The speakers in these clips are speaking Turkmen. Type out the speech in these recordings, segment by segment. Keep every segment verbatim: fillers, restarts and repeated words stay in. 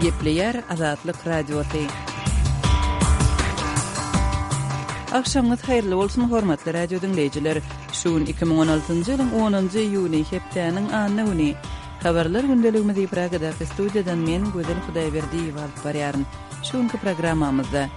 Gepleýär Azatlyk Radiosy. Agşamyňyz haýyrly bolsun, hormatly radio diňleýjiler. Şu gün iki müň on altynjy ýylyň onunjy iýuny, hepdäniň anna güni. Habarlar gündeligimizi Pragadaky studiýadan men, Gözel Hudaýberdiýewa alyp barýaryn. Şu günki programmamyzda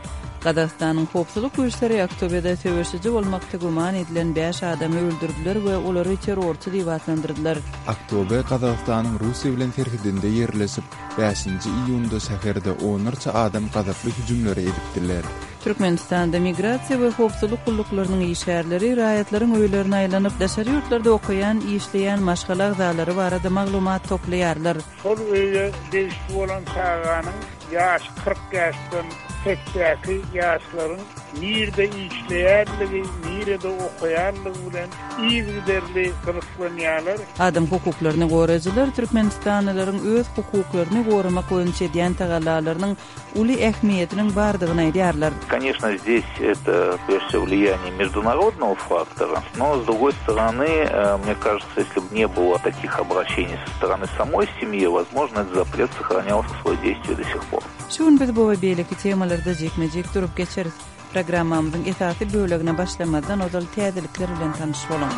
Gazagystanyň howpsuzlyk güýçleri Aktobede söweşiji bolmakda güman edilen bäş adamy öldürdiler we olary terrorçy diýip atlandyrdylar. Aktobe Gazagystanyň Russiýa bilen serhedinde ýerleşip, bäşinji iýunda şäherde onlarça adam gazaply hüjümleri edipdiler. Türkmenistanda migrasiýa we howpsuzlyk gulluklarynyň işgärleri raýatlaryň öýlerine aýlanyp, daşary ýurtlarda okaýan, işleýän maşgala agzalary barada maglumat toplaýarlar. Şol öýe degişli bolan çaganyň ýaşy kyrk ýaşdan pesdäki ýaşlaryň nirede işleýänligi, nirede okaýanlygy bilen yzygiderli gyzyklanýarlar. Adam hukuklaryny goraýjylar türkmenistanlylaryň öz hukuklaryny goramak boýunça edýän tagallalarynyň uly ähmiýetiniň bardygyny aýdýarlar. Конечно, здесь это прежде всего влияние международного фактора, но с другой стороны, э, мне кажется, если бы не было таких обращений со стороны самой семьи, возможно, этот запрет сохранял свое действие до сих пор. Şu gün biz bu we beýleki temalarda jikme-jik durup geçeris. Programmamyzyň esasy bölegine başlamazdan ozal täzelikler bilen tanyş boluň.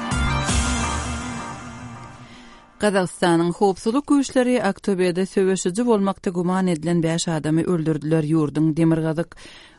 Gazagystanyň howpsuzlyk güýçleri Aktobede söweşiji bolmakda güman edilen bäş adamy öldürdiler. Ýurduň demirgazyk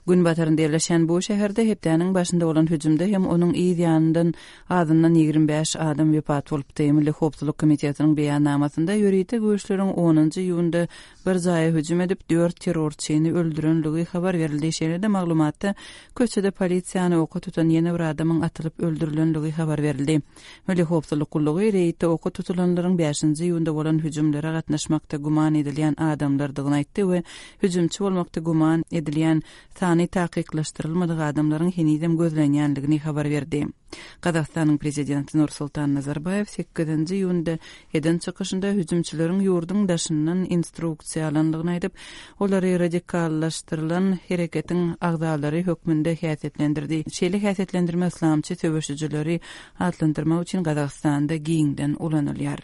günbatarynda ýerleşen bu şäherde hepdäniň başynda bolan hüjümde hem onuň yz ýanyndan azyndan ýigrimi bäş adam wepat bolupdy. Milli howpsuzlyk komitetiniň beýannamasynda ýörite güýçleriň onunjy iýunda bir jaýa hüjüm edip dört terrorçyny öldürenligi habar berildi. Şeýle-de maglumatda köçede polisiýany oka tutan ýene bir adamyň atylyp öldürilenligi habar berildi. Milli howpsuzlyk gullugy reýdde oka tutulanlaryň bäşinji iýunda bolan hüjümlere gatnaşmakda güman edilýän adamlardygyny aýtdy we hüjümçi bolmakda güman edilýän sany takyklaşdyrylmadyk adamlaryň henizem gözlenýänligini habar berdi. Gazagystanyň prezidenti Nursultan Nazarbaýew sekizinji iýunda eden çykyşynda hüjümçileriň ýurduň daşyndan instruksiýa alandygyny aýdyp, olary radikallaşdyrylan hereketiň agzalary hökmünde häsiýetlendirdi. Şeýle häsiýetlendirme islamçy söweşijileri atlandyrmak üçin Gazagystanda giňden ulanylýar.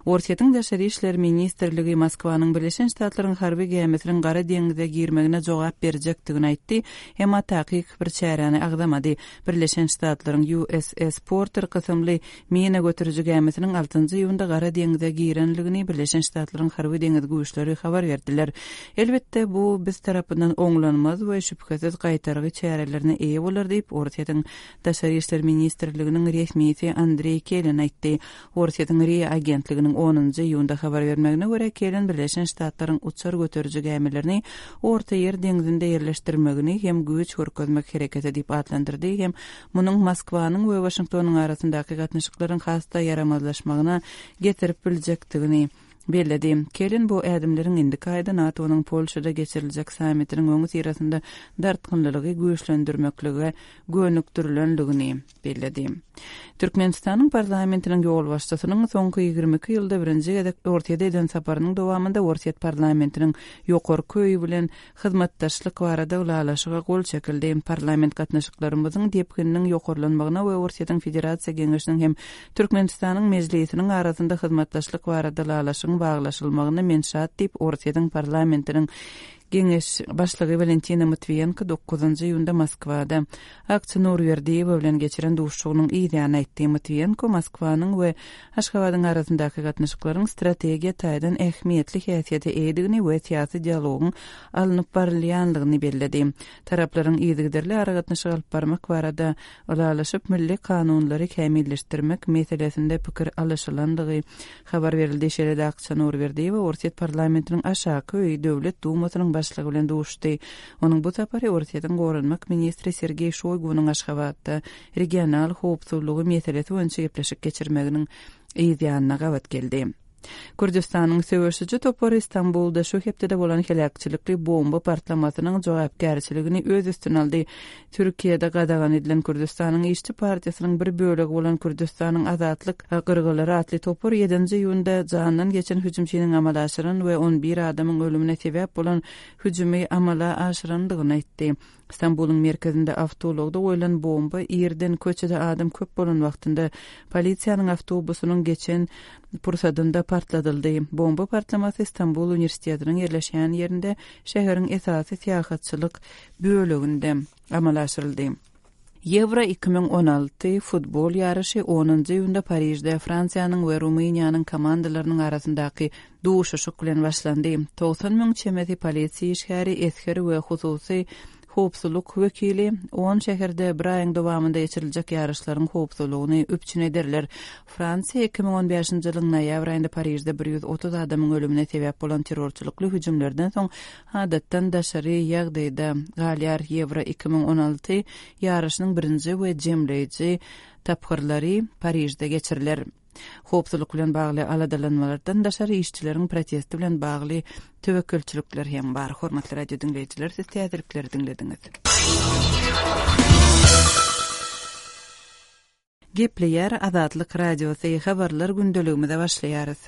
Orsýetiň Daşary işler ministrligi Moskwanyň Birleşen Ştatlaryň harby gämisiniň Gara deňize girmegine jogap berjekdigini aýtdy, emma takyk bir çäräni agzamady. Birleşen Ştatlaryň U S S Porter kysymly mina götüriji gämisiniň altynjy iýunda Gara deňize girenligini Birleşen Ştatlaryň harby deňiz güýçleri habar berdiler. Elbetde bu biz tarapyndan oňlanmaz we şübhesiz gaýtargy çärelerine eýe bolar diýip Orsýetiň Daşary işler ministrliginiň resmisi Andrei Kelen aýtdy. Orsýetiň R I A agentliginiň onunjy iýunda habar bermegine görä Kelen Birleşen Ştatlaryň uçar göteriji gämilerini Orta Ýer deňzinde ýerleşdirmegini hem güýç görkezmek hereketi diýip atlandyrdy, hem munuň Moskwanyň we Waşingtonyň arasyndaky gatnaşyklaryň has-da ýaramazlaşmagyna getirip biljekdigini belledi. Kelen bu ädimleriň indiki aýda NATO-nyň Polşada geçiriljek sammitiniň öňi syrasynda dartgynlylygy güýçlendirmeklige gönükdirilenligini belledi. Türkmenistanyň parlamentiniň ýolbaşçysynyň soňky ýigrimi iki ýylda birinji gezek Orsýete eden saparynyň dowamynda Orsýet parlamentiniň ýokarky öýi bilen hyzmatdaşlyk barada ylalaşyga gol çekildi. Parlament gatnaşyklarymyzyň depgininiň ýokarlanmagyna we Orsýetiň Federasiýa Geňeşiniň hem Türkmenistanyň Mejlisiniň arasynda hyzmatdaşlyk barada ylalaşygyň baglaşylmagyna men şat diýip Orsýetiň parlamentiniň Geňeş başlygy Valentina Matviyenko dokuzynjy iýunda Moskwada Akça Nurberdiýewa bilen geçiren duşuşygynyň yz ýanyna aýtdy. Matviyenko Moskwanyň we Aşgabadyň arasyndaky gatnaşyklaryň strategiýa taýdan ähmiýetli häsiýete eýedigini we syýasy dialogyň alnyp barylýanlygyny belledi. Taraplaryň yzygiderli aragatnaşyk alyp barmak barada ylalaşyp milli kanunlary kämilleşdirmek meselesinde pikir alyşylandygy habar berildi. Şeýle-de Akça Nurberdiýewa Orsýet parlamentiniň aşaky öýi Döwlet Dumasynyň başlygy bilen duşdy. Onuň bu sapary Orsýetiň goranmak ministri Sergeý Şoýgunyň Aşgabatda regional howpsuzlygy meselesi boýunça gepleşik geçirmeginiň yz ýanyna gabat geldi. Kürdistanyň söweşiji topary Istanbulda şu hepdede bolan heläkçilikli bomba partlamasynyň jogapkärçiligini öz üstüne aldy. Türkiýede gadagan edilen Kürdistanyň İşçi Partiýasynyň bir bölegi bolan Kürdistanyň Azatlyk Gyrgylary atly topar ýedinji iýunda jandan geçen hüjümçiniň amala aşyran we on bir adamyň ölümine sebäp bolan hüjümi amala aşyrandygyny aýtdy. Stambulyň merkezinde awtoulagda goýlan bomba irden köçede adam köp bolan wagtynda polisiýanyň awtobusynyň geçen pursadynda partladyldy. Bomba partlamasy Stambul uniwersitetiniň ýerleşýän ýerinde şäheriň esasy syýahatçylyk böleginde amala aşyryldy. Ýewro iki müň on alty futbol ýaryşy onunjy iýunda Parižde Fransiýanyň we Rumyniýanyň komandalarynyň arasyndaky duşuşyk bilen başlandy. Togsan müň çemesi polisiýa işgäri, esger we hususy howpsuzlyk wekili on şäherde bir aýyň dowamynda geçiriljek ýaryşlaryň howpsuzlygyny üpjün ederler. Fransiýa iki müň on bäşinji ýylyň noýabr aýynda Parižde bir ýüz otuz adamyň ölümine sebäp bolan terrorçylykly hüjümlerden soň adatdan daşary ýagdaýda galýar. Ýewro iki müň on alty ýaryşynyň birinji we jemleýji tapgyrlary Parižde geçiriler. Howpsuzlyk bilen bagly aladalanmalardan daşary işçileriň protesti bilen bagly töwekgelçilikler hem bar. Hormatly radio diňleýjiler, siz täzelikleri diňlediňiz. Gepleýär Azatlyk Radiosy, habarlar gündeligimize başlaýarys.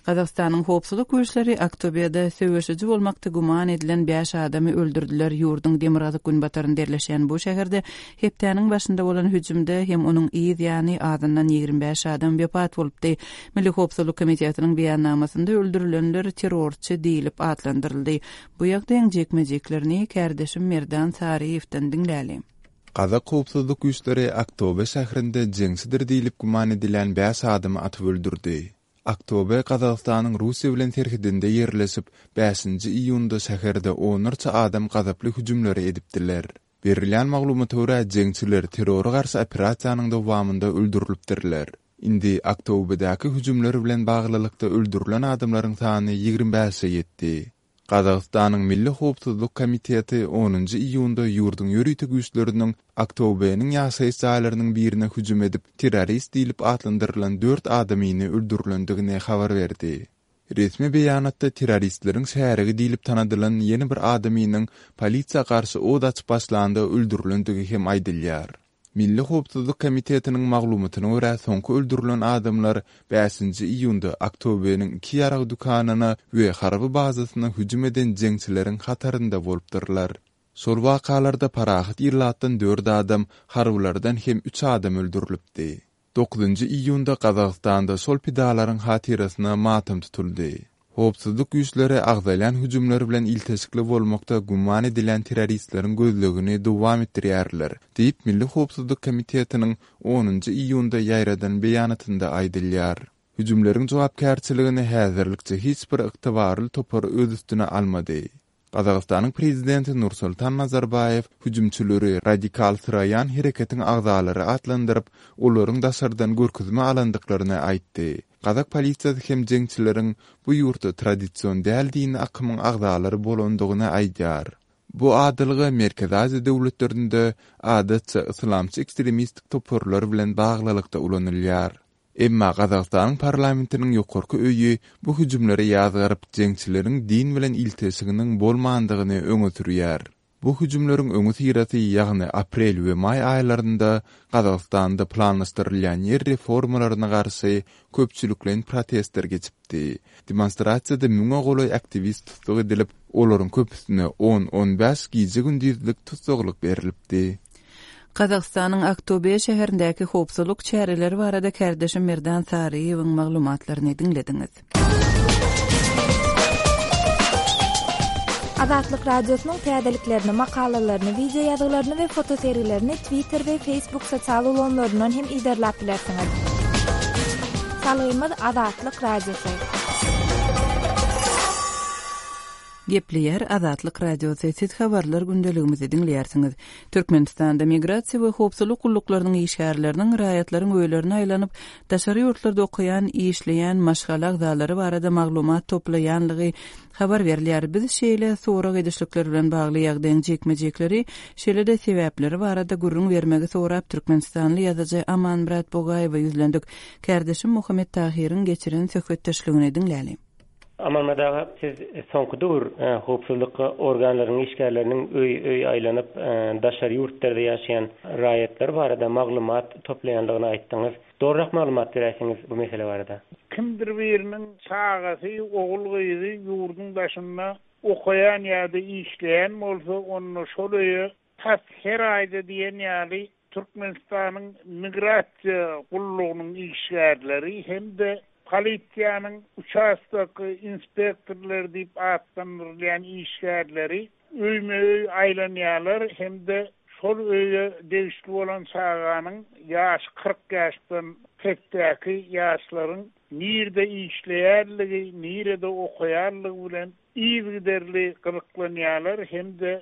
Gazagystanyň howpsuzlyk güýçleri Aktobe'de söweşiji bolmakda güman edilen bäş adamy öldürdüler. Ýurduň demirgazyk günbatarynda ýerleşen bu şäherde hepdäniň başynda bolan hüjümde hem onuň yz ýany azyndan ýigrimi bäş adam wepat bolupdy. Milli Howpsuzlyk Komitetiniň beýannamasynda öldürilenler terrorçy diýilip atlandyryldy. Bu ýagdaýyň jekme-jeklerini kärdeşim Merdan Saryýewden diňläli. Gazak howpsuzlyk güýçleri Aktobe şäherinde jeňçidir diýilip güman edilen bäş adamy atyp öldürdi. Aktobe Gazagystanyň Russiýa bilen serhedinde ýerleşip, bäşinji iýunda şäherde onlarça adam gazaply hüjümleri edipdiler. Berilýän maglumata görä jeňçiler terrora garşy operasiýanyň dowamynda öldürilipdirler. Indi Aktobedäki hüjümler bilen baglylykda öldürilen adamlaryň sany ýigrimi bäşe ýetdi. Gazagystanyň Milli Howpsuzlyk Komiteti onunjy iýunda ýurduň ýörite güýçleriniň Aktobeniň ýaşaýyş jaýlarynyň birine hüjüm edip, terrorist diýilip atlandyrylan dört adamyny öldürilendigini habar berdi. Resmi beýanatda terroristleriň şärigi diýilip tanadylan ýene bir adamynyň polisiýa garşy od açyp başlanda öldürilendigi hem aýdylýar. Milli Howpsuzlyk Komitetiniň maglumatyna görä soňky öldürilen adamlar bäşinji iýunda Aktobeniň iki ýarag dükanyna we harby bazasyna hüjüm eden jeňçileriň hatarynda bolupdyrlar. Şol wakalarda parahat ýyllatdan dört adam, harbylardan hem üç adam öldürilipdi. Dokuzynjy iýunda Gazagystanda şol pidalaryň hatyrasyna matam tutuldy. Howpsuzlyk güýçleri agzalýan hüjümler bilen ilteşikli bolmakda güman edilen terroristleriň gözlegini dowam etdirýärler, diýip Milli Howpsuzlyk Komitetiniň onunjy iýunda ýaýradan beýanatynda aýdylýar. Hüjümleriň jogapkärçiligini häzirlikçe hiç bir ygtybarly topar öz üstüne almady. Gazagystanyň prezidenti Nursultan Nazarbaýew hüjümçileri radikal syraýan hereketiň agzalary atlandyryp, olaryň daşardan görkezme alandyklaryny aýtdy. Gazak polisiýasy hem jeňçileriň bu ýurtda tradision däl dini akymyň agzalary bolandygyny aýdýar. Bu adalga Merkezi Aziýa döwletlerinde adatça islamçy ekstremistik toparlar bilen baglylykda ulanylýar. Emma Gazagystanyň parlamentiniň ýokarky öýi bu hüjümleri ýazgaryp, jeňçileriň din bilen ilteşiginiň bolmandygyny öňe sürýär. Bu hüjümleriň öňi syrasy, ýagny aprel we maý aýlarynda Gazagystanda planlaşdyrylýan ýer reformalaryna garşy köpçülikleýin protestler geçipdi. Demonstrasiýada müňe golaý aktiwist tussag edilip, olaryň köpüsine on-on bäş gije-gündizlik tussaglyk berilipdi. Gazagystanyň Aktobe şäherindäki howpsuzlyk çäreleri barada kärdeşim Merdan Saryýewiň maglumatlaryny diňlediňiz. Azatlyk Radiosynyň täzeliklerini, makalalaryny, video ýazgylaryny we fotosergilerini Twitter we Facebook sosial ulgamlaryndan hem iderläp bilersiňiz. Salgymyz Azatlyk Radiosy. Gepleýär Azatlyk Radiosy. Siz habarlar gündeligimizi diňleýärsiňiz. Türkmenistanda migrasiýa we howpsuzlyk gulluklarynyň işgärleriniň raýatlaryň öýlerine aýlanyp, daşary ýurtlarda okaýan, işleýän maşgala agzalary barada maglumat toplaýanlygy habar berilýär. Biz şeýle sorag edişlikler bilen bagly ýagdaýyň jekme-jekleri, şeýle-de sebäpleri barada gürrüň bermegi sorap Türkmenistanly ýazyjy Amanmyrat Bogaýewe ýüzlendik. Kärdeşim Muhammet Tahyryň geçiren söhbetdeşligini diňläli. Amanmyrat aga, siz soňky döwür, e, howpsuzlyk organlarynyň işgärleriniň öý-öý aýlanyp, e, daşary ýurtlarda ýaşaýan raýatlar barada maglumat toplaýandygyny aýtdyňyz. Dogrurak maglumat berersiňiz bu mesele barada. Kimdir biriniň çagasy, ogul gyzy ýurduň daşynda okaýan ýa-da işleýän bolsa, onda şol öýe Tas her aýda diýen ýaly Türkmenistanyň migrasiýa gullugynyň işgärleri hem-de polisiýanyň uçastok inspektorlary diýip atlandyrylýan işgärleri öýme-öý aýlanýarlar hem-de şol öýe degişli bolan çaganyň ýaşy kyrk ýaşdan pesdäki ýaşlaryň nirede işleýänligi, nirede okaýanlygy bilen yzygiderli gyzyklanýarlar hem-de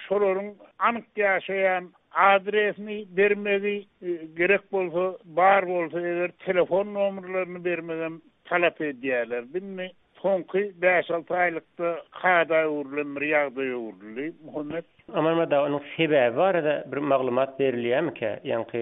şolaryň anyk ýaşaýan adresini bermegi, gerek bolsa, bar bolsa eger telefon nomerlerini bermegem talap edýärler. Indi soňky bäş-alty aýlykda kada öwrülen bir ýagdaý öwrüldi. Muhammet. Amanmyrat aga, onuň sebäbi barada bir maglumat berilýärmikä, ýaňky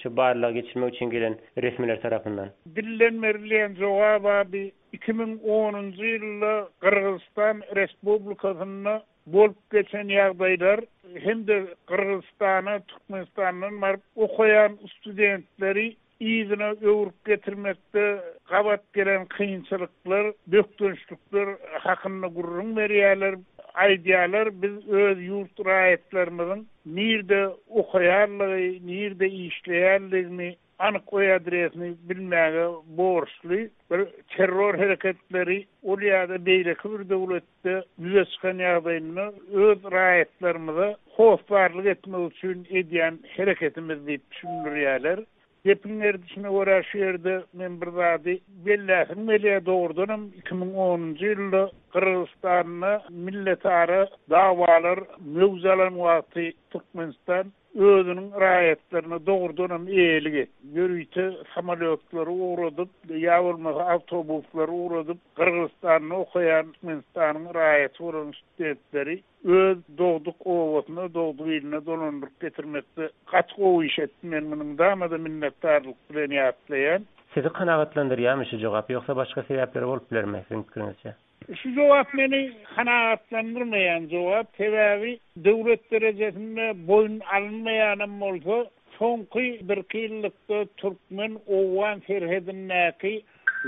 şu barlagy geçirmek üçin gelen resmiler tarapyndan? Dilden berilýän jogap abi iki müň onunjy ýylda Gyrgyzystan Respublikasynda bolup geçen ýagdaýlar hem-de Gyrgyzystana Türkmenistandan baryp okaýan studentleri yzyna öwrüp getirmekde gabat gelen kynçylyklar, bökdençlikler hakynda gürrüň berýärler, aýdýarlar, biz öz ýurt raýatlarymyzyň nirde okaýanlygy, nirde işleýänligini, anyk öý adresini bilmäge borçly. Bir terror hereketleri ol ýa-da beýleki bir döwletde ýüze çykan ýagdaýynda öz raýatlarymyza hossarlyk etmek üçin edýän hereketimiz diýip düşündirýärler. Gepiň gerdişine görä şu ýerde men bir zady belläsim gelýär, dogrudanam iki müň onunjy ýylda Gyrgyzystanda milletara dawalar möwç alan wagty Türkmenistan özüniň raýatlaryna dogrudanam eýelik etdi. Ýörite samolýotlary ugradyp, ýa bolmasa awtobuslary ugradyp, Gyrgyzystanda okaýan Türkmenistanyň raýaty bolan studentleri öz dogduk obasyna, dogduk iline dolandyryp getirmekde gaty gowy iş etdi. Men muny mydama-da minnetdarlyk bilen ýatlaýan. Sizi kanagatlandyrýarmy şu jogap, ýogsa başga sebäpleri bolup bilermi siziň pikiriňizçe? Şu jogap meni kanagatlandyrmaýan jogap, sebäbi döwlet derejesinde boýun alynmaýanam bolsa, soňky birki ýyllykda türkmen-owgan serhedindäki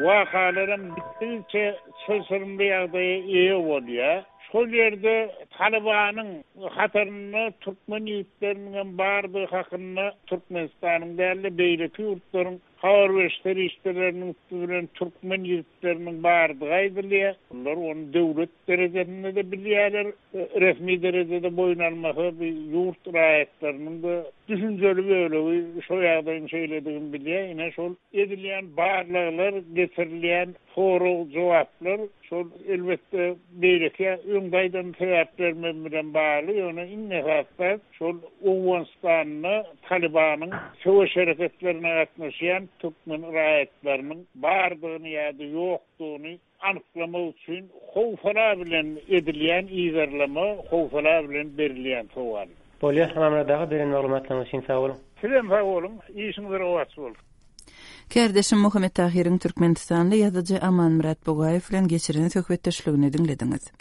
wakalaram gitdigiçe çylşyrymly ýagdaýa eýe bolýar. Şol ýerde Talybanyň hatarynda türkmen ýigitleriniň hem bardygy hakynda Türkmenistanyň däl-de beýleki ýurtlaryň habar beriş serişdeleriniň üsti bilen türkmen ýigitleriniň bardygy aýdylýar. Olar ony döwlet derejesinde-de bilýärler, resmi derejede boýun almasa bir ýurt raýatlarynyň-da düşünjeli bölegi şo ýagdaýyň şeýledigini bilýär. Ine şol edilýän barlaglar, geçirilýän sorag-jogaplar şol elbetde beýleki öňde aýdan sebäplerimiz bilen bagly, ýöne iň esasy şol Owganystanda Talybanyň söweş hereketlerine gatnaşýan türkmen raýatlarynyň bardygyny ýa-da ýokdugyny anyklamak üçin howsala bilen edilýän yzarlama, howsala bilen berilýän sowal. Bolýar, Amanmyrat aga, beren maglumatlaryňyz üçin sag boluň. Sizem sag boluň, işiňiz rowaç bolsun. Kärdeşim Muhammet Tahyryň Türkmenistanly ýazyjy Amanmyrat Bugaýew bilen geçiren söhbetdeşligini diňlediňiz.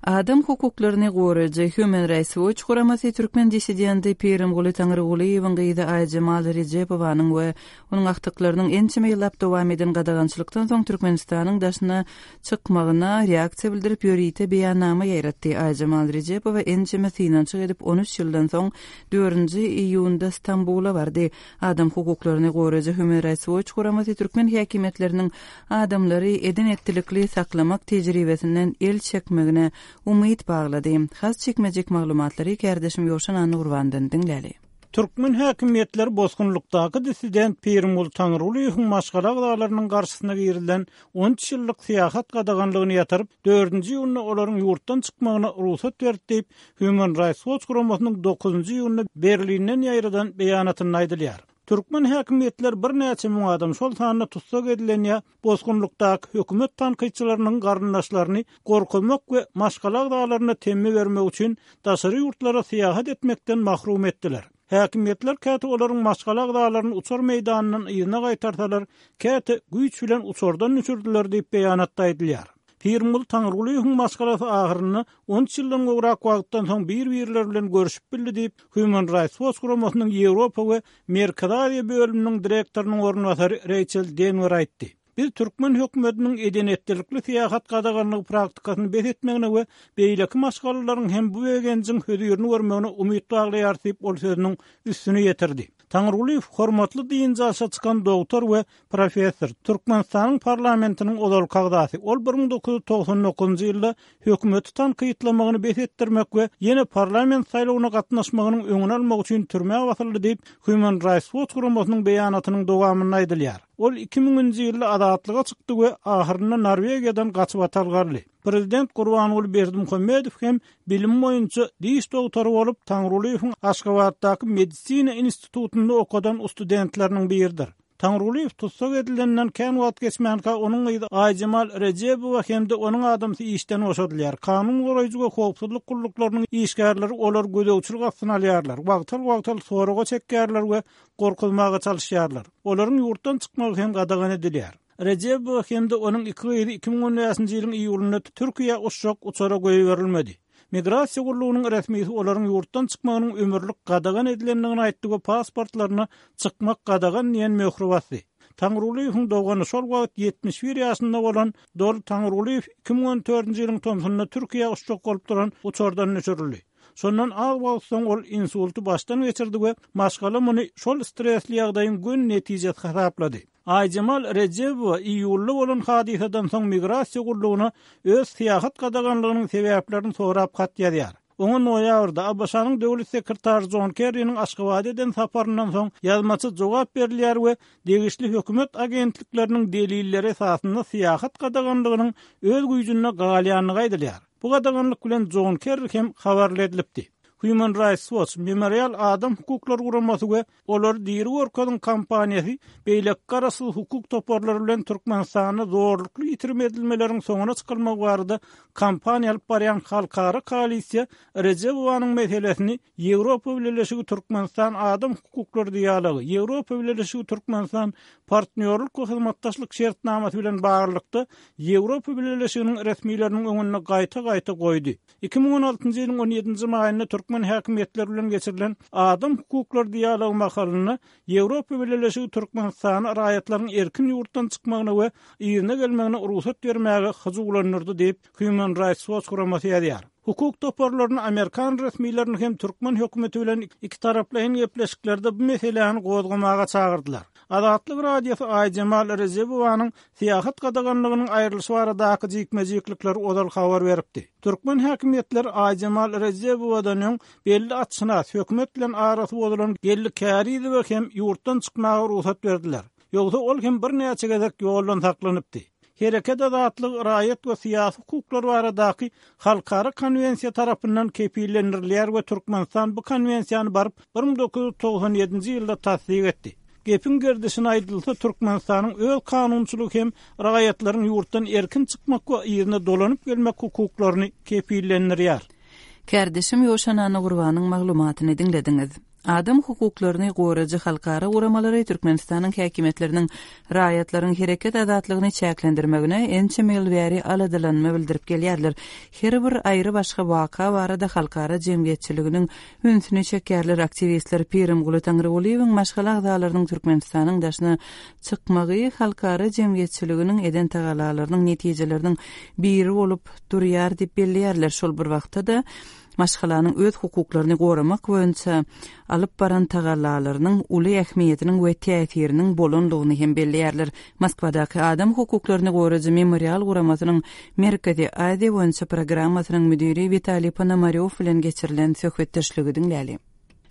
Adam hukuklaryny goraýjy Human Rights Watch guramasy türkmen dissidenti Pirimguly Taňrygulyýewiň gyzy Aýjemal Rejepowanyň we onuň agtyklarynyň ençeme ýyllap dowam eden gadagançylykdan soň Türkmenistanyň daşyna çykmagyna reaksiýa bildirip ýörite beýannama ýaýratdy. Aýjemal Rejepowa ençeme synanyşyk edip on üç ýyldan soň dördünji iýunda Stambula bardy. Adam hukuklaryny goraýjy Human Rights Watch guramasy türkmen häkimiýetleriniň adamlary eden-etdilikli saklamak tejribesinden el çekmegine umyt baglady. Has çekmejek maglumatlary kärdeşim Ýowşan Annagurbandan diňläli. Türkmen häkimiýetleri bosgunlykdaky dissident Pirimguly Taňrygulyýewiň maşgala agzalarynyň garşysyna girilen on üç ýyllyk syýahat gadaganlygyny ýatyryp, dördünji iýunda olaryň ýurtdan çykmagyna rugsat berdi diýip, Human Rights Watch guramasynyň dokuzynjy iýunda Berlinden ýaýradan beýanatynda aýdylýar. Türkmen häkimiýetleri birnäçe müň adam, şol sanda tussag edilen ýa bosgunlykdaky hökümet tankytçylarynyň garyndaşlaryny gorkuzmak we maşgala agzalaryna temmi bermek üçin daşary ýurtlara syýahat etmekden mahrum etdiler. Häkimiýetler käte olaryň maşgala agzalaryny uçar meýdanyndan yzyna gaýtarsalar, käte güýç bilen uçardan düşürdiler diýip beýanatda aýdylýar. Pirimguly Taňrygulyýewiň maşgalasy ahyrynda on üç ýyldan gowrak wagtdan soň bir-birleri bilen görüşip bildi diýip, Human Rights Watch guramasynyň Ýewropa we Merkezi Aziýa bölüminiň direktorynyň orunbasary Reýçel Denwer aýtdy. Biz türkmen hökümetiniň eden-etdilikli syýahat gadaganlygy praktikasyny bes etmegine we beýleki maşgalalaryň hem bu begenjiň hözirini görmegine umyt baglaýarys diýip, ol sözüniň üstüni ýetirdi. Taňrygulyýew hormatly dynç alşa çykan dogtor we professor, Türkmenistanyň parlamentiniň ozalky agzasy. Ol bir müň dokuz ýüz togsan dokuzynjy ýylda hökümeti tankytlamagyny bes etdirmek we ýene parlament saýlawyna gatnaşmagynyň öňüni almak üçin türmä basyldy diýip, Human Rights Watch guramasynyň beýanatynyň dowamynda aýdylýar. Ol iki müňünji ýylda azatlyga çykdy we ahyrynda Norwegiýadan gaçybatalga aldy. Prezident Gurbanguly Berdimuhamedow hem bilimi boýunça diş dogtory bolup, Taňrygulyýewiň Aşgabatdaky medisina institutynda okadan ustudentleriniň biridir. Taňrygulyýew tussag edilenden kän wagt geçmänkä onuň gyzy Aýjemal Rejebowa hem-de onuň adamsy işden boşadylýar. Kanun goraýjy we howpsuzlyk gulluklarynyň işgärleri olary gözegçilik astyna alýarlar, wagtal-wagtal soraga çekýärler we gorkuzmaga çalyşýarlar. Olaryň ýurtdan çykmagy hem gadagan edilýär. Rejebowa hem-de onuň iki gyzy iki müň on bäşinji ýylyň iýulynda Türkiýä uçjak uçara goýberilmedi. Migrasiýa gullugynyň resmisi olaryň ýurtdan çykmagynyň ömürlik gadagan edilendigini aýtdy we pasportlaryna çykmak gadagan diýen möhri basdy. Taňrygulyýewiň dogany şol wagt ýetmiş bir ýaşynda bolan Doly Taňrygulyýew iki müň on dördünji ýylyň tomsunda Türkiýä uçjak bolup duran uçardan düşürildi. Şondan az wagt soň ol insulty başdan geçirdi we maşgala muny şol stresli ýagdaýyň göni netijesi hasaplady. Aýjemal Rejebowa iýulda bolan hadysadan soň migrasiýa gullugyna öz syýahat gadaganlygynyň sebäplerini sorap hat ýazýar. Oňa noýabrda ABŞ-nyň döwlet sekretary Jon Kerriniň Aşgabada eden saparyndan soň ýazmaça jogap berilýär we degişli hökümet agentlikleriniň delilleri esasynda syýahat gadaganlygynyň öz güýjünde galýandygy aýdylýar. Bu gadaganlyk bilen Jon Kerri hem habarly edilipdi. Human Rights Watch, Memorial adam hukuklary guramasy we Olary diri görkeziň kampaniýasy beýleki garaşsyz hukuk toparlary bilen Türkmenistanda zorlukly ýitirim edilmeleriň soňuna çykylmagy barada kampaniýa alyp barýan halkara koalisiýa Rejebowanyň meselesini Ýewropa Bileleşigi Türkmenistan adam hukuklary dialogy, Ýewropa Bileleşigi Türkmenistan partnýorlyk we hyzmatdaşlyk şertnamasy bilen baglylykda Ýewropa Bileleşiginiň resmileriniň öňünde gaýta-gaýta goýdy. Iki müň on altynjy ýylyň on ýedinji maýynda türkmen häkimiýetleri bilen geçirilen adam hukuklary dialogy mahalynda Ýewropa Bileleşigi Türkmenistana raýatlaryň erkin ýurtdan çykmagyna we yzyna gelmegine rugsat bermäge hyjuwlandyrdy diýip, Human Rights Watch guramasy ýazýar. Hukuk toparlaryny amerikan resmilerini hem türkmen hökümeti bilen ikitaraplaýyn gepleşiklerde bu meseläni gozgamaga çagyrdylar. Azatlyk Radiosy Aýjemal Rejebowanyň syýahat gadaganlygynyň aýrylyşy baradaky jikme-jiklikleri ozal habar beripdi. Türkmen häkimiýetleri Aýjemal Rejebowadan öň belli atşynas, hökümet bilen arasy bozulan Geldi Kärizowa hem ýurtdan çykmaga rugsat berdiler. Ýogsa ol hem birnäçe gezek ýoldan saklanypdy. Hereket azatlygy raýat we syýasy hukuklar baradaky halkara konwensiýa tarapyndan kepillendirilýär we Türkmenistan bu konwensiýany baryp bir müň dokuz ýüz togsan ýedinji ýylda tassyk etdi. Gepiň gerdişine aýdylsa, Türkmenistanyň öz kanunçylygy hem raýatlaryň ýurtdan erkin çykmak we yzyna dolanyp gelmek hukuklaryny kepillendirýär. Kärdeşim Ýowşan Annagurbanyň maglumatyny diňlediňiz. Adam hukuklaryny goraýjy halkara guramalary Türkmenistanyň häkimiýetleriniň raýatlaryň hereket azatlygyny çäklendirmegine ençeme ýyl bäri aladalanma bildirip gelýärler. Her bir aýry-başga waka barada halkara jemgyýetçiliginiň ünsüni çekýärler. Aktiwistler Pirimguly Taňrygulyýewiň maşgala agzalarynyň Türkmenistanyň daşyna çykmagy halkara jemgyýetçiliginiň eden tagalalarynyň netijeleriniň biri bolup durýar diýip belleýärler. Şol bir wagtda-da maşgalanyň öz hukuklaryny goramak boýunça alyp baran tagallalarynyň uly ähmiýetiniň we täsiriniň bolandygyny hem belleýärler. Moskwadaky adam hukuklaryny goraýjy Memorial guramasynyň Merkezi Aziýa boýunça programmasynyň müdiri Witaliý Ponomarýow bilen geçirilen söhbetdeşligi diňläli.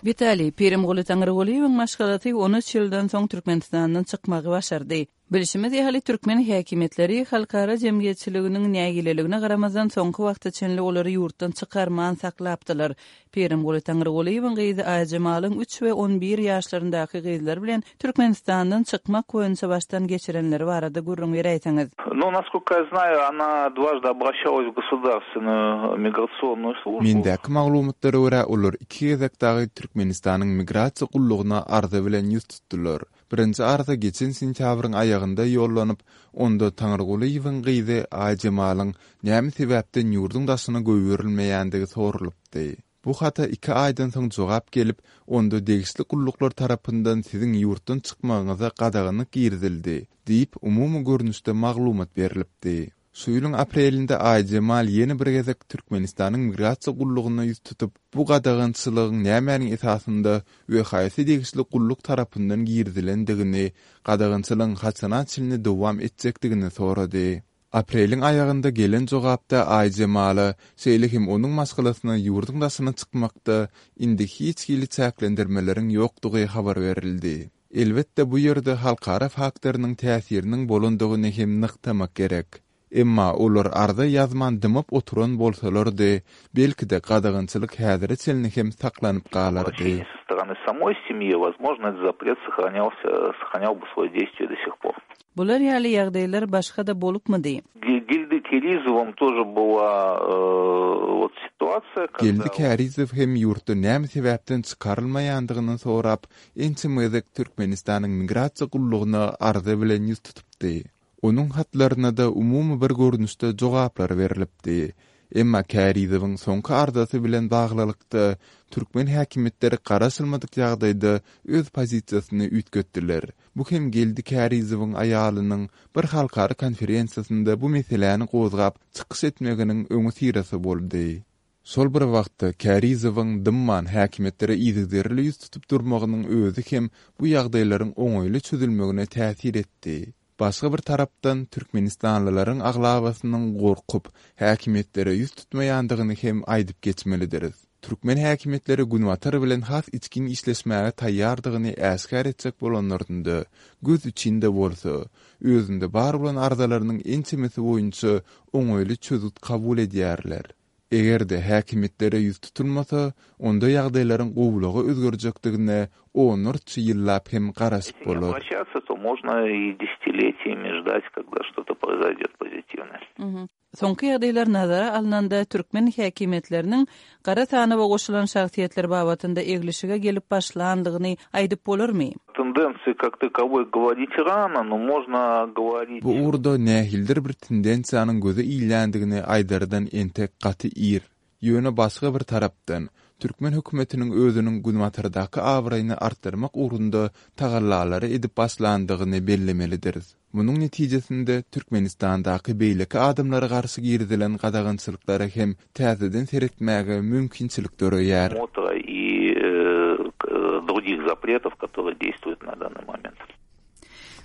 Witaliý, Pirimguly Taňrygulyýewiň maşgalasy on üç ýyldan soň Türkmenistandan çykmagy başardy. Bilşimiz ýaly, türkmen häkimiýetleri halkara jemgyýetçiliginiň nägileligine garamazdan soňky wagta çenli olary ýurtdan çykarman saklapdylar. Pirimguly Taňrygulyýewiň gyzy Aýjemalyň üç we on bir ýaşlaryndaky gyzlary bilen Türkmenistandan çykmak boýunça başdan geçirenleri barada gürrüň beräýseňiz. Ну, насколько я знаю, она дважды обращалась в государственную миграционную службу. Mendäki maglumatlara görä, olar iki gezek dagy Türkmenistanyň migrasiýa gullugyna arza bilen ýüz tutdular. Birinji arza geçen sentýabryň aýagynda ýollanyp, onda Taňrygulyýewiň gyzy Aýjemalyň näme sebäpden ýurduň daşyna goýberilmeýändigi sorulypdy. Bu hata iki aýdan soň jogap gelip, onda degişli gulluklar tarapyndan siziň ýurtdan çykmagyňyza gadaganlyk girizildi diýip, umumy görnüşde maglumat berlipdi. Şu ýylyň aprelinde Aýjemal ýene bir gezek Türkmenistanyň migrasiýa gullugyna ýüz tutup, bu gadagançylygyň nämäniň esasynda we haýsy degişli gulluk tarapyndan girizilendigini, gadagançylygyň haçana çenli dowam etjekdigini sorady. Apreliň aýagynda gelen jogapda Aýjemala, şeýle hem onuň maşgalasyna ýurduň daşyna çykmakda indi hiç hili çäklendirmeleriň ýokdugy habar berildi. Elbetde, bu ýerde halkara faktorynyň täsiriniň bolandygyny hem nygtamak gerek. Emma olar arza ýazman dymyp oturan bolsalardy, belki-de gadagançylyk häzire çenli hem saklanyp galardy. Со стороны самой семьи, возможно, этот запрет сохранялся, сохранял бы свое действие до сих пор. Bular ýaly ýagdaýlar başga-da bolupmydy? Гельды Керизовым тоже была э, вот ситуация, когда... Geldi Kärizow hem ýurtdan näme sebäpden çykarylmaýandygyny sorap, ençeme gezek Türkmenistanyň migrasiýa gullugyna arza bilen ýüz tutupdy. Onuň hatlaryna-da umumy bir görnüşde jogaplar berlipdi. Emma Kärizowyň soňky arzasy bilen baglylykda türkmen häkimiýetleri garaşylmadyk ýagdaýda öz pozisiýasyny üýtgetdiler. Bu hem Geldi Kärizowyň aýalynyň bir halkara konferensiýasynda bu meseläni gozgap çykyş etmeginiň öňüsyrasy boldy. Şol bir wagtda Kärizowyň dymman häkimiýetlere yzygiderli ýüz tutup durmagynyň özi hem bu ýagdaýlaryň oňaýly çözülmegine täsir etdi. Başga bir tarapdan türkmenistanlylaryň aglabasynyň gorkup, häkimiýetlere ýüz tutmaýandygyny hem aýdyp geçmelidiris. Türkmen häkimiýetleri Günbatar bilen has içgin işleşmäge taýýardygyny äşgär etjek bolanlarynda, göz üçin-de bolsa, özünde bar bolan arzalarynyň ençemesi boýunça oňaýly çözgüt kabul edýärler. Eger-de häkimiýetlere ýüz tutulmasa, onda ýagdaýlaryň gowulyga özgerjekdigine onlarça ýyllap hem garaşyp Если не bolar. обращаться, то можно и десятилетиями ждать, когда что-то произойдет позитивное. Soňky ýagdaýlar nazara alnanda türkmen häkimiýetleriniň gara sanawa goşulan şahsyýetler babatynda eglişige gelip başlandygyny aýdyp bolarmy? Тенденции как таковой говорить рано, но можно говорить... Bu ugurda nähilidir bir tendensiýanyň göze ilýändigini aýdardan entek gaty ir. Ýöne başga bir tarapdan türkmen hökümetiniň özüniň Günbatardaky abraýyny artdyrmak ugrunda tagallalary edip başlandygyny bellemelidiris. Munuň netijesinde Türkmenistandaky beýleki adamlara garşy girizilen gadagançylyklara hem täzeden seretmäge mümkinçilik döreýär. Смотра и э, к- других запретов, которые действуют на данный момент.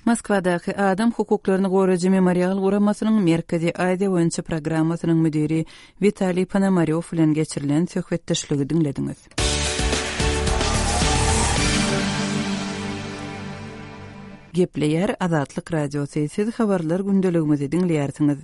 Moskwadaky Adam hukuklaryny goraýjy Memorial guramasynyň Merkezi Aziýa boýunça programmasynyň müdiri Witaliý Ponomarýow bilen geçirilen söhbetdeşligi diňlediňiz. Gepleýär Azatlyk Radiosy. Siz habarlar gündeligimizi diňleýärsiňiz.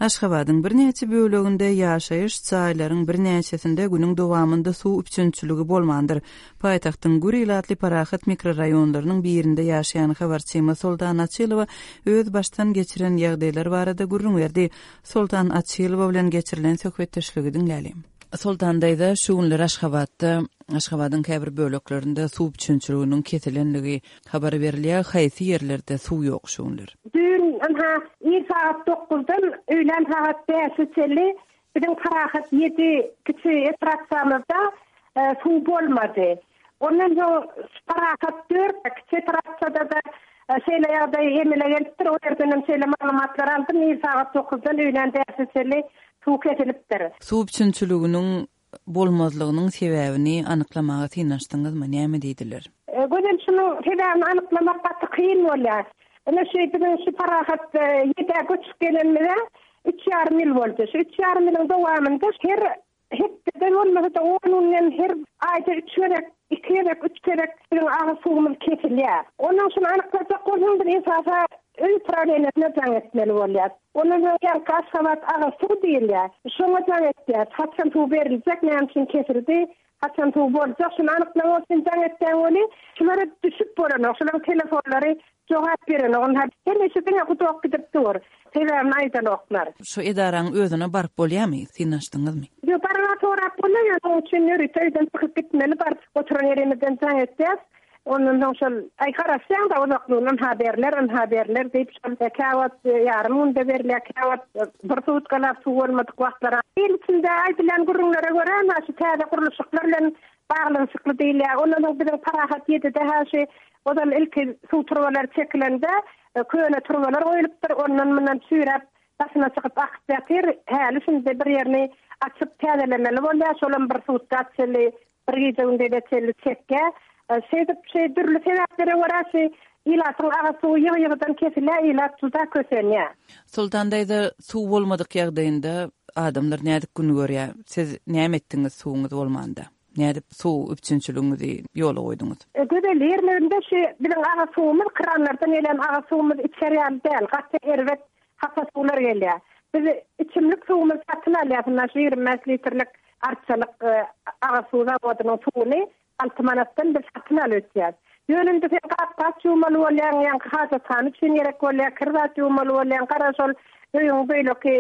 Aşgabadyň birnäçe böleginde ýaşaýyş jaýlaryň birnäçesinde günüň dowamynda suw üpjünçiligi bolmandyr. Paýtagtyň gür ilatly Parahat mikroraýonlarynyň birinde ýaşaýan habarçymyz Soltan Açylowa öz başdan geçiren ýagdaýlar barada gürrüň berdi. Soltan Açylowa bilen geçirilen söhbetdeşligi diňlälim. Soltan daýza, şu günler Aşgabatda, Aşgabadyň käbir böleklerinde suw üpjünçiliginiň kesilenligi habar berilýär. Haýsy ýerlerde suw ýok şu günler? Dün ynha ir saat dokuzdan öýlän saat bäşe çenli biziň Parahat ýedi kiçi etrapçamyzda, e, suw bolmady. Ondan soň Parahat dört kiçi etrapçada da, e, şeýle ýagdaý emele gelipdir. O ýerden hem şeýle maglumatlar aldym. Ir saat dokuzdan öýlän bäşe çenli suw kesilipdir. Suw üpjünçiliginiň bolmazlygynyň sebäbini anyklamaga synanyşdyňyzmy? Näme diýdiler? E, gözel şunuň sebäbini anyklamak gaty kyn bolýar. Ine şu biziň şu Parahat, e, ýedä göçüp gelenimize üç ýarym ýyl boldy. Şu üç ýarym ýylyň dowamynda her hepdede bolmasa-da on günden her aýda üç gezek, iki gezek, üç gezek biziň agyz suwumyz kesilýär. Ondan şuny anyklajak bolsaň bir esasa öý prawleniýesine jaň etmeli bolýar. Ondan soň ýaňky Aşgabat agyz suw diýilýär. Şoňa jaň etýär. Haçan suw beriljek, näme üçin kesildi, haçan suw boljak, şuny anyklamak üçin jaň etýän weli, şulara düşüp bolanok, şularyň telefonlary jogap berenok. Onlar hemişe diňe gudok gidip dur. Sebäbini aýdanoklar. Şu edaraň özüne baryp bolýarmy? Synanyşdyňyzmy? Ýok, baryp sorap bolýar. Onuň üçin ýörite öýden çykyp gitmeli, baryp oturan ýerimizden jaň etýäs. Ondan soň şol aý garaşýaň-da uzaklygyndan ha berler, ynha berler diýip şol käwagt ýarym günde berilýär, käwagt bir sutkalap suw bolmadyk wagtlar. Il içinde aýdylan gürrüňlere görä, ha şu täze gurluşyklar bilen baglanyşykly diýilýär. Ondan soň biziň Parahat ýedide ha şu ozal ilki suw turbalary çekilende köne turbalar goýulypdyr, ondan mundan çüýräp daşyna çykyp akyp ýatyr. Häli şindi bir ýerini açyp täzelemeli bolýar, şolam bir sutka çenli, bir gije gündize çenli çekýär. Şeýdip, şeý dürli sebäplere görä şu ilatyň agyz suwy ýygy-ýygydan kesilýär, ilat juda kösenýär. Soltan daýza, suw bolmadyk ýagdaýynda adamlar nädip gün görýär? Siz näme etdiňiz suwuňyz bolmanda? Nädip suw üpjünçiligiňizi ýola goýduňyz? E, gözel ýerlerinde şu biziň agyz suwumyz, kranlardan gelen agyz suwumyz içer ýaly däl, gaty erbet hapa suwlar gelýär. Biz içimlik suwumyzy satyn alýarys, ynha şu ýigrimi bäş litrlik arçalyk, e, agyz suw zawodynyň suwuny alty manatdan biz satyn alyp içýäris. Ýöne indi sen gap-gaç ýuwmaly bolýaň, ýaňky hajathana üçin gerek bolýar, kir zat ýuwmaly bolýaň, gara şol öýüň beýleki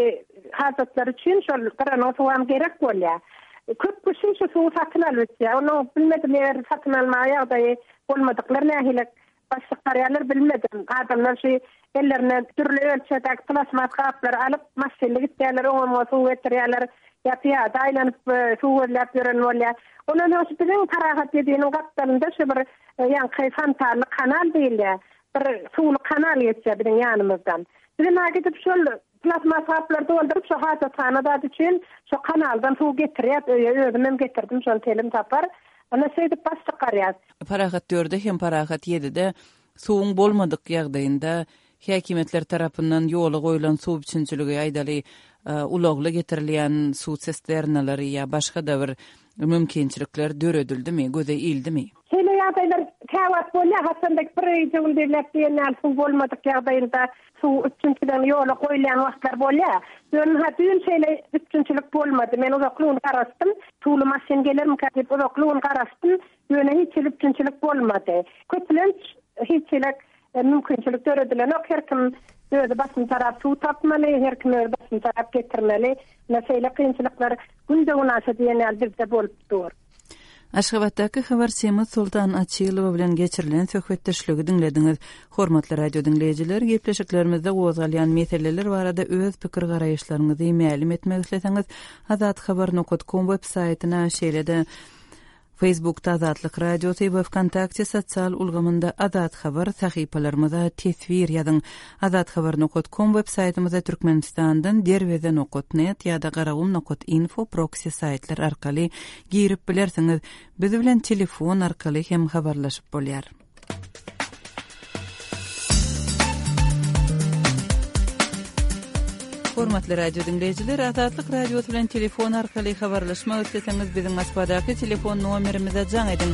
hajatlary üçin şol gyranyň suwam gerek bolýar. Köp kişi şu suwy satyn alyp içýär. Onuň bilmedim, eger satyn almaga ýagdaýy bolmadyklar nähili baş çykarýarlar bilmedim. Adamlar şu ellerine dürli ölçegdäki plasmas gaplary alyp, maşynly gitýärler, oňa suw getirýärler, ýa pyýada aýlanyp, e, suw gözläp ýören bolýar. Ondan soň şu biziň Parahat ýediniň gapdalynda şu bir, e, ýaňky fontanly kanal diýilýär. Bir suwly kanal geçýär biziň ýanymyzdan. Biz hem gidip şol plasmas gaplary dolduryp şu hajathana zat üçin şu kanaldan suw getirýär, öýe özüm hem getirdim şol telim tapar. Ana şeýdip baş çykarýar. Parahat dörde hem Parahat ýedide suwuň bolmadyk ýagdaýynda häkimiýetler tarapyndan ýola goýlan suw üpjünçiligi aýdaly, e, ulagly getirilýän suw sisternalary ýa başga da bir mümkinçilikler döredildimi, göze ildimi? Şeýle ýagdaýlar käwagt bolýar, haçanda bir gije gündizläp diýen ýaly suw bolmadyk ýagdaýynda suw üpjünçiligini ýola goýulýan wagtlar bolýar. Ýöne ha düýn şeýle üpjünçilik bolmady. Men uzakly gün garaşdym. Suwly maşyn gelermikä diýip uzakly gün garaşdym. Ýöne hiç hili üpjünçilik bolmady. Köplenç hiç hili, e, mümkinçilik döredilenok. Her kim özi başyny tarap suw tapmaly, her kim özi başyny tarap getirmeli. Ine şeýle kynçylyklar günde günaşa diýen ýaly bizde bolup dur. Aşgabatdaky habarçymyz Soltan Açylowa bilen geçirilen söhbetdeşligi diňlediňiz. Hormatly radio diňleýjiler, gepleşiklerimizde gozgalýan meseleler barada öz pikir garaýyşlaryňyzy mälim etmek isleseňiz, azathabar nokta com web saýtyna, şeýle-de Facebookda Azatlyk Radiosy we Vkontakte sosial ulgamynda Azat Habar sahypalarymyza teswir ýazyň. Azathabar nokta com web saýtymyza Türkmenistandan derweze nokta net ýa-da garagum nokta info proxy saýtlar arkaly girip bilersiňiz. Biz bilen telefon arkaly hem habarlaşyp bolýar. Hormatly radio diňleýjiler, Azatlyk Radiosy bilen telefon arkaly habarlaşmak isleseňiz, biziň Moskwadaky telefon nomerimize jaň ediň.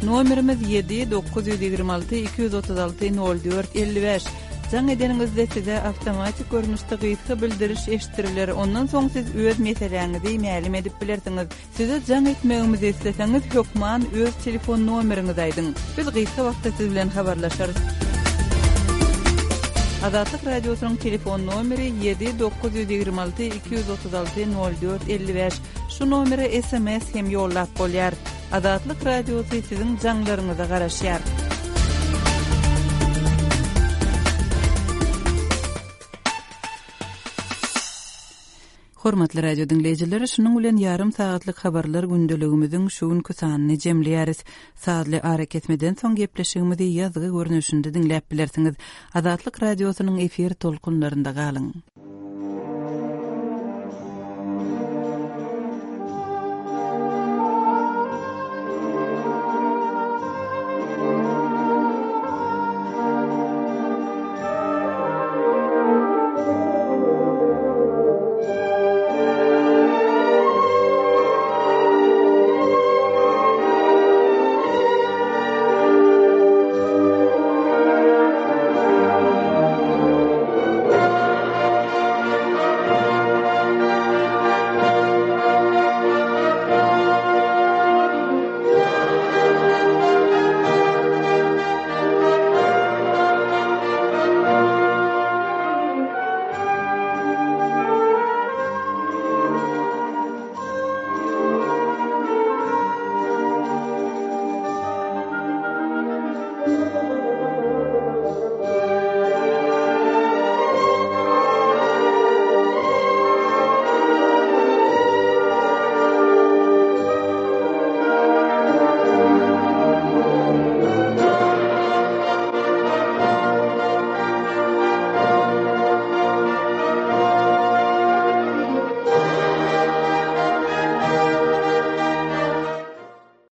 Nomerimiz ýedi dokuz ýüz ýigrimi alty iki ýüz otuz alty nol dört elli bäş. Jaň edeniňizde size awtomatik görnüşde gysga bildiriş eşitdiriler. Ondan soň siz öz meseläňizi mälim edip bilersiňiz. Size jaň etmegimizi isleseňiz, hökman öz telefon nomeriňizi aýdyň. Biz gysga wagtda siz bilen habarlaşarys. Azatlyk Radiosynyň telefon nomeri ýedi dokuz ýüz ýigrimi alty iki ýüz otuz alty nol dört elli bäş. Şu nomere S M S hem ýollap bolýar. Azatlyk Radiosy siziň jaňlaryňyza garaşýar. Hormatly radio diňleýjiler, şunuň bilen ýarym sagatlyk habarlar gündeligimiziň şu günki sanyny jemleýäris. Sazly arakesmeden soň gepleşigimizi ýazgy görnüşinde diňläp bilersiňiz. Azatlyk Radiosynyň efir tolkunlarynda galyň.